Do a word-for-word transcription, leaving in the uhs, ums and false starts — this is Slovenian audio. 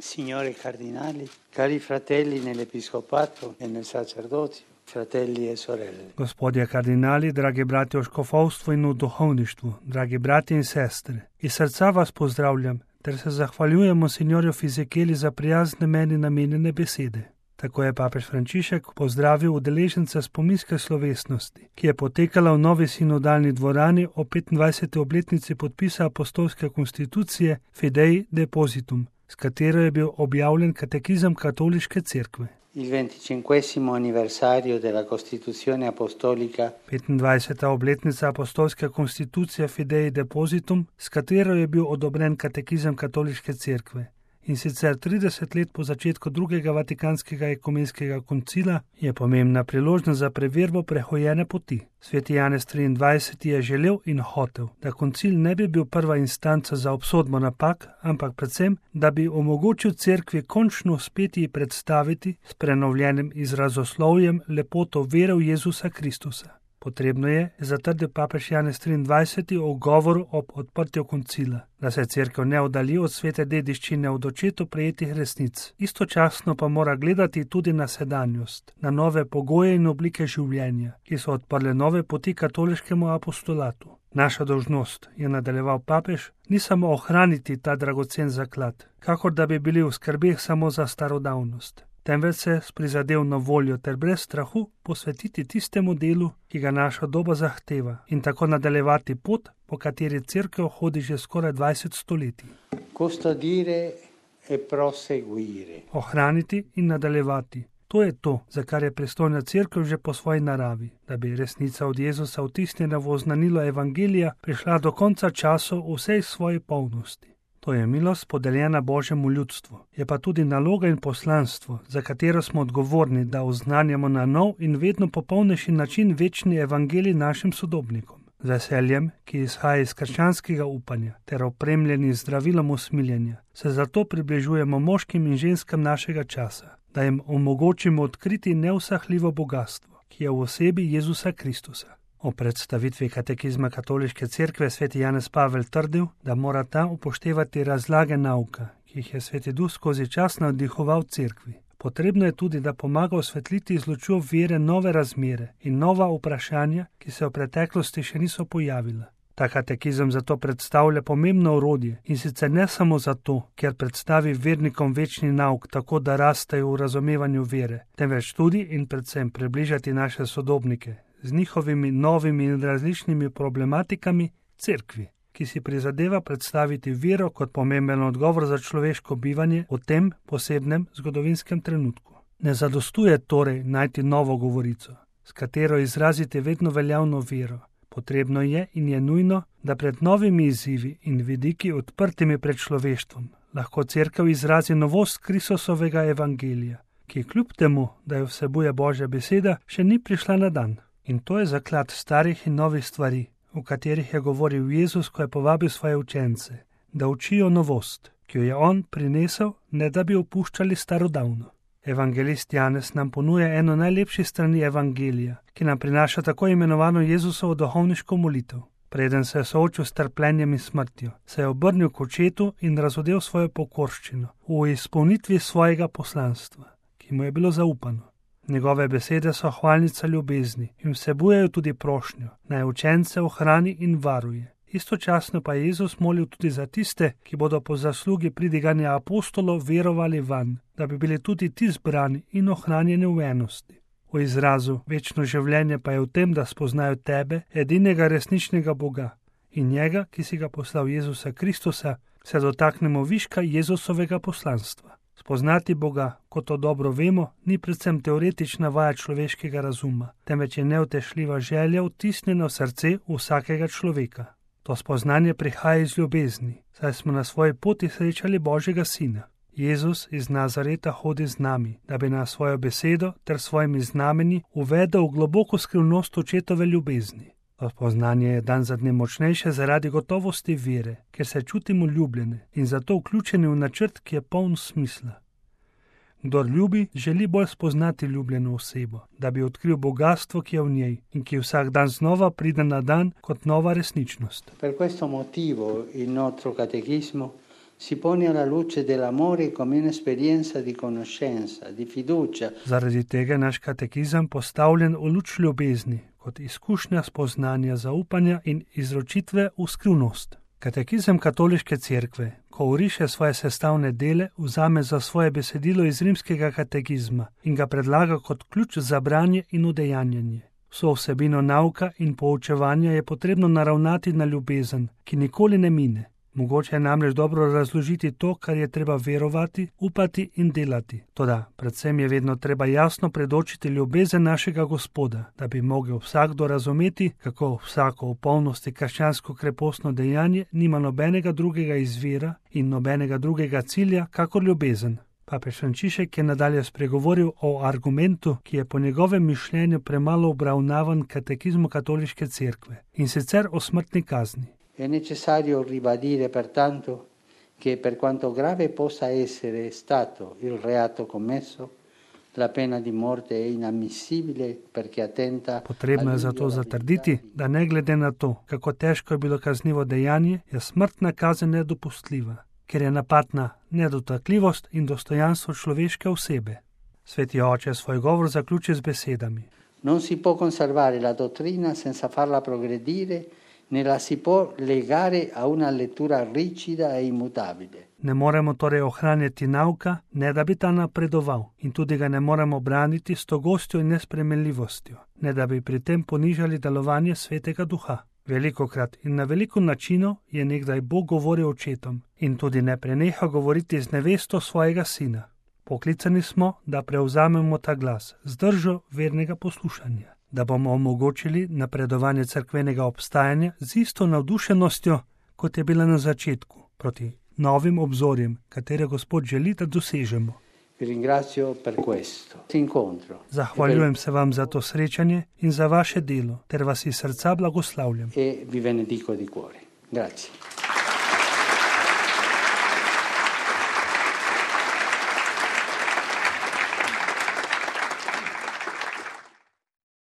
Signori cardinali, cari fratelli nell'episcopato e nel sacerdozio, fratelli e sorelle. Gospodje kardinali, dragi brati v škofovstvu in v duhovništvu, dragi brati in sestre, iz srca vas pozdravljam ter se zahvaljujem monsignorju Fizikeli za prijazne meni namenjene besede. Tako je papež Frančišek pozdravil udeležence spominske slovesnosti, ki je potekala v novi sinodalni dvorani o petindvajseti obletnici podpisa apostolske konstitucije Fidei Depositum, s katero je bil objavljen katekizem katoliške cerkve. Il venticinquesimo anniversario della Costituzione Apostolica, petindvajseta obletnica apostolske konstitucije Fidei Depositum, s katero je bil odobren katekizem katoliške cerkve. In sicer trideset let po začetku drugega vatikanskega ekumenskega koncila, je pomembna priložnost za preverbo prehojene poti. Sveti Janez triindvajseti je želel in hotel, da koncil ne bi bil prva instanca za obsodbo napak, ampak predvsem, da bi omogočil cerkvi končno uspeti predstaviti s prenovljenim izrazoslovjem lepoto vere v Jezusa Kristusa. Potrebno je, zatrdil papež Janez triindvajseti v govoru ob odprtju koncila, da se cerkev ne oddalji od svete dediščine od očetu prejetih resnic. Istočasno pa mora gledati tudi na sedanjost, na nove pogoje in oblike življenja, ki so odprle nove poti katoliškemu apostolatu. Naša dolžnost, je nadaljeval papež, ni samo ohraniti ta dragocen zaklad, kakor da bi bili v skrbeh samo za starodavnost, temveč se s prizadevno voljo ter brez strahu posvetiti tistemu delu, ki ga naša doba zahteva, in tako nadaljevati pot, po kateri cerkev hodi že skoraj dvajset stoletij. custodire e proseguire. Ohraniti in nadaljevati. To je to, za kar je pristojna cerkev že po svoji naravi, da bi resnica od Jezusa vtisnjena v oznanilo evangelija prišla do konca časov v vsej svoji polnosti. To je milost podeljena Božjemu ljudstvu, je pa tudi naloga in poslanstvo, za katero smo odgovorni, da oznanjamo na nov in vedno popolnejši način večni evangelij našim sodobnikom. Z veseljem, ki izhaja iz krščanskega upanja, ter opremljeni z zdravilom usmiljenja, se zato približujemo moškim in ženskam našega časa, da jim omogočimo odkriti neusahljivo bogatstvo, ki je v osebi Jezusa Kristusa. O predstavitvi katekizma katoliške cerkve sveti Janez Pavel trdil, da mora ta upoštevati razlage nauka, ki jih je sveti Duh skozi čas navdihoval cerkvi. Potrebno je tudi, da pomaga osvetliti iz lučjo vere nove razmere in nova vprašanja, ki se v preteklosti še niso pojavila. Ta katekizem zato predstavlja pomembno orodje in sicer ne samo zato, ker predstavi vernikom večni nauk tako, da rastejo v razumevanju vere, temveč tudi in predvsem približati naše sodobnike z njihovimi novimi in različnimi problematikami cerkvi, ki si prizadeva predstaviti vero kot pomemben odgovor za človeško bivanje v tem posebnem zgodovinskem trenutku. Ne zadostuje torej najti novo govorico, s katero izraziti vedno veljavno vero. Potrebno je in je nujno, da pred novimi izzivi in vidiki odprtimi pred človeštvom lahko cerkev izrazi novost Kristusovega evangelija, ki kljub temu, da jo vsebuje Božja beseda, še ni prišla na dan. In to je zaklad starih in novih stvari, v katerih je govoril Jezus, ko je povabil svoje učence, da učijo novost, ki jo je on prinesel, ne da bi opuščali starodavno. Evangelist Janez nam ponuja eno najlepših strani evangelija, ki nam prinaša tako imenovano Jezusovo duhovniško molitev. Preden se je soočil s trpljenjem in smrtjo, se je obrnil k očetu in razodel svojo pokorščino v izpolnitvi svojega poslanstva, ki mu je bilo zaupano. Njegove besede so hvalnica ljubezni in vsebujejo tudi prošnjo, naj učence ohrani in varuje. Istočasno pa je Jezus molil tudi za tiste, ki bodo po zaslugi pridiganja apostolov verovali vanj, da bi bili tudi ti zbrani in ohranjeni v enosti. V izrazu večno življenje pa je v tem, da spoznajo tebe, edinega resničnega Boga, in njega, ki si ga poslal Jezusa Kristusa, se dotaknemo viška Jezusovega poslanstva. Spoznati Boga, kot to dobro vemo, ni predvsem teoretična vaja človeškega razuma, temveč je neutešljiva želja vtisnjena v srce vsakega človeka. To spoznanje prihaja iz ljubezni, saj smo na svoji poti srečali Božjega Sina. Jezus iz Nazareta hodi z nami, da bi nas svojo besedo ter svojimi znamenji uvedel v globoko skrivnost očetove ljubezni. To spoznanje je dan za dne močnejše zaradi gotovosti vere, ker se čutimo ljubljene in zato vključeni v načrt, ki je poln smisla. Kdor ljubi, želi bolj spoznati ljubljeno osebo, da bi odkril bogatstvo, ki je v njej in ki vsak dan znova pride na dan kot nova resničnost. Per questo motivo il nostro catechismo si pone alla luce dell'amore come un'esperienza di conoscenza, di fiducia. Zaradi tega je naš katekizem postavljen v luč ljubezni, kot izkušnja spoznanja, zaupanja in izročitve v skrivnost. Katekizem katoliške cerkve, ko oriše svoje sestavne dele, vzame za svoje besedilo iz rimskega katekizma in ga predlaga kot ključ za branje in udejanjanje. Vso vsebino nauka in poučevanja je potrebno naravnati na ljubezen, ki nikoli ne mine. Mogoče je namreč dobro razložiti to, kar je treba verovati, upati in delati. Toda predvsem je vedno treba jasno predočiti ljubezen našega Gospoda, da bi mogel vsakdo razumeti, kako vsako v polnosti krščansko krepostno dejanje nima nobenega drugega izvira in nobenega drugega cilja, kakor ljubezen. Papež Frančišek je nadalje spregovoril o argumentu, ki je po njegovem mišljenju premalo obravnavan katekizmu katoliške cerkve, in sicer o smrtni kazni. È necessario ribadire pertanto che per quanto grave possa essere stato il reato commesso, la pena di morte è inammissibile perché attenta. Potrebno je zato zatrditi, da ne glede na to, kako težko je bilo kaznivo dejanje, je smrtna kazen nedopustljiva, ker je napad na nedotakljivost in dostojanstvo človeške osebe. Sveti oče svoj govor zaključi z besedami: Non si può conservare la dottrina senza farla progredire, ne la si può legare a una lettura rigida e immutabile. Ne moremo torej ohranjati nauka, ne da bi ta napredoval, in tudi ga ne moremo braniti s togostjo in nespremenljivostjo, ne da bi pri tem ponižali delovanje Svetega Duha. Velikokrat in na veliko načinov je nekdaj Bog govoril očetom in tudi ne preneha govoriti z nevesto svojega sina. Poklicani smo, da prevzamemo ta glas z držo vernega poslušanja, da bomo omogočili napredovanje cerkvenega obstajanja z isto navdušenostjo, kot je bila na začetku, proti novim obzorjem, katere Gospod želi, da dosežemo. Zahvaljujem se vam za to srečanje in za vaše delo, ter vas iz srca blagoslavljam. E vi benedico di cuore. Grazie.